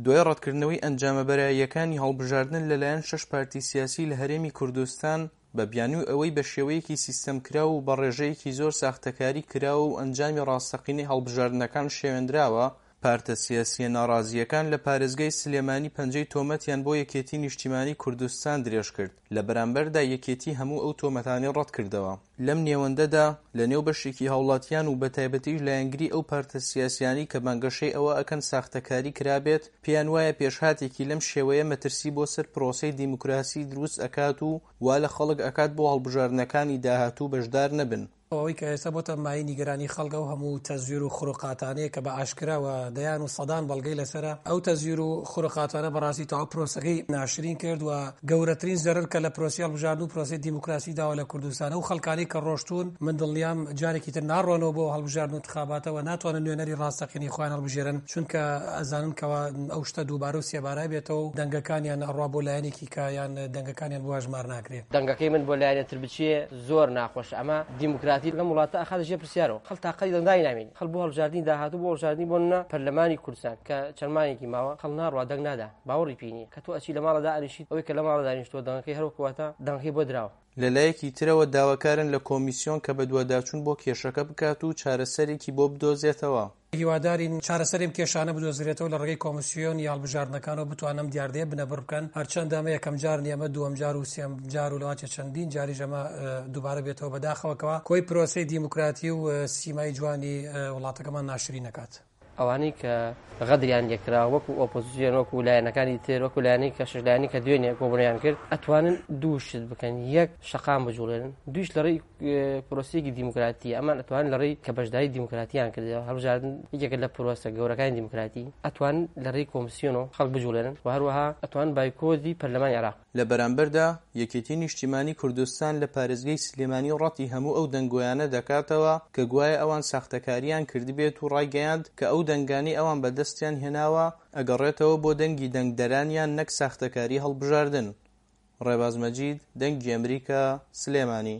دوای ڕەتکردنەوەی ئەنجامە بەراییەکانی هەڵبژاردن لەلایەن شەش پارتی سیاسی لە هەرێمی کوردستان بە بیانووی ئەوەی بە شێوەیەکی سیستەمکراو و بە ڕێژەیەکی زۆر ساختەکاری کراوە و ئەنجامی ڕاستەقینەی هەڵبژاردنەکان شێوێندراوە، پارتە سیاسییە ناڕازییەکان لە پارێزگای سلێمانی پەنجەی تۆمەتیان بۆ یەکێتی نیشتیمانی کوردستان درێژکرد، لە بەرامبەردا یەکێتی هەموو ئەو تۆمەتانەی ڕەتکردەوە. لەم نێوەندەدا لە نێو بەشێکی هاوڵاتیان و بەتایبەتیش لایەنگری ئەو پارتە سیاسیانەی کە بانگەشەی ئەوە ئەکەن ساختەکاری کرابێت، پێیان وایە پێشهاتێکی لەم شێوەیە مەترسی بۆ سەر پرۆسەی دیموکراسی دروست ئەکات و وا لە خەڵک ئەکات بۆ هەڵبژاردنەکانی داهاتوو بەشدار نەبن. ئەوەی کە ئێستا بۆتە مایەی نیگەرانی خەڵک ئەو هەموو تەزویر و خروقاتانەیە کە بە ئاشکرا و دەیان و سەدان بەڵگەی لەسەرە، ئەو تەزویر و خروقاتانە بەڕاستی تەواو پرۆسەکەی ناشرین کرد و گەورەترین زەرەر کە لە پرۆسەی هەڵبژاردن و پرۆسەی دیموکراسی داوە لە کوردستان ئەو خەڵکانەی کە ڕۆشتوون من دڵنیام جارێکی تر ناڕۆنەوە بۆ هەڵبژاردن و انتخاباتە و ناتوانن نوێنەری ڕاستەقینەی خۆیان هەڵبژێرن چونکە ئەزانن کەوا ئەو شتە دووبارە و سێبارە بێتەوە و دەنگەکانیان ئەڕوا بۆ لایەنێکی کە یان دەنگەکانیان بۆ هەژمار ناکرێ. دەنگەکەی من بۆ لایەنێ تر بچێ زۆر ناخۆشە ئەمە دیموکراتی لەم وڵاتە ئەخاتە ژێر پرسیارەوە خەڵک تاقەتی دەنگدانی نامێنێ خەڵک بۆ هەڵبژاردنی داهاتوو بۆ هەڵبژاردنی بۆ نمونە پەرلەمانی کوردستان کە چەند مانگێکی ماوە خەڵک ناڕوا دەنگ نادا باوەڕی پێی نییە کە تۆ ئەچی لە ماڵە دائەنیشیت ئەوەی کە لە ماڵە دانیشتووە دەنگەکەی هەر وەکو واتە دەنگەکەی بۆ دراوە. لەلایەکی ترەوە داواکارن لە کۆمیسیۆن کە بەدواداچوون بۆ کێشەکە بکات و چارەسەرێکی بۆ بدۆزێتەوە. هیوادارین چارەسەری ئەم کێشانە بدۆزرێتەوە لە ڕێگەی کۆمسیۆنی هەڵبژاردنەکانەوە بتوانن ئەم دیاردەیە بنەبڕ بکەن، هەرچەندە ئەمە یەکەم جار نییە ئەمە دووەم جار و سێم جار و لەوانچێ چەندین جاریش ئەمە دووبارە بێتەوە بەداخەوە کەوا کۆی پرۆسەی دیموکراتی و سیمای جوانی وڵاتەکەمان ناشرین ئەکات. ئەوانەی کە غەدریان لێکرا وەکو ئۆپۆزسیۆن وەکو لایەنەکانی تر وەکو لایەنەی کە شەش لایەنی کە دوێنێ کۆبوونەوەیان کرد ئەتوانن دوو شت بکەن یەک شەقام بجوڵێنن دوویش لە ڕێی پرۆسەیەکی دیموکراتی ئەمان ئەتوان لە ڕێی کە بەشداری دیموکراتیان کردەوە هەڵبژاردن یەکێکە لە پرۆسە گەورەکانی دیموکراتی ئەتوان لە ڕێی کۆمسیۆنەوە خەڵک بجوڵێنن و هەروەها ئەتوان بایکۆتی پەرلەمانی عێراق لە بەرامبەردا، یەکێتی نیشتیمانی کوردستان لە پارێزگەی سلێمانی ڕەتی هەموو ئەو دەنگۆیانە دەکاتەوە کە گوایە ئەوان ساختەکارییان کردبێت و ڕایگەیاند کە ئەو دەنگانەی ئەوان بەدەستیان هێناوە ئەگەڕێتەوە بۆ دەنگی دەنگدەرانیان نەک ساختەکاری هەڵبژاردن. ڕێباز مەجید، دەنگی ئەمریکا، سلێمانی.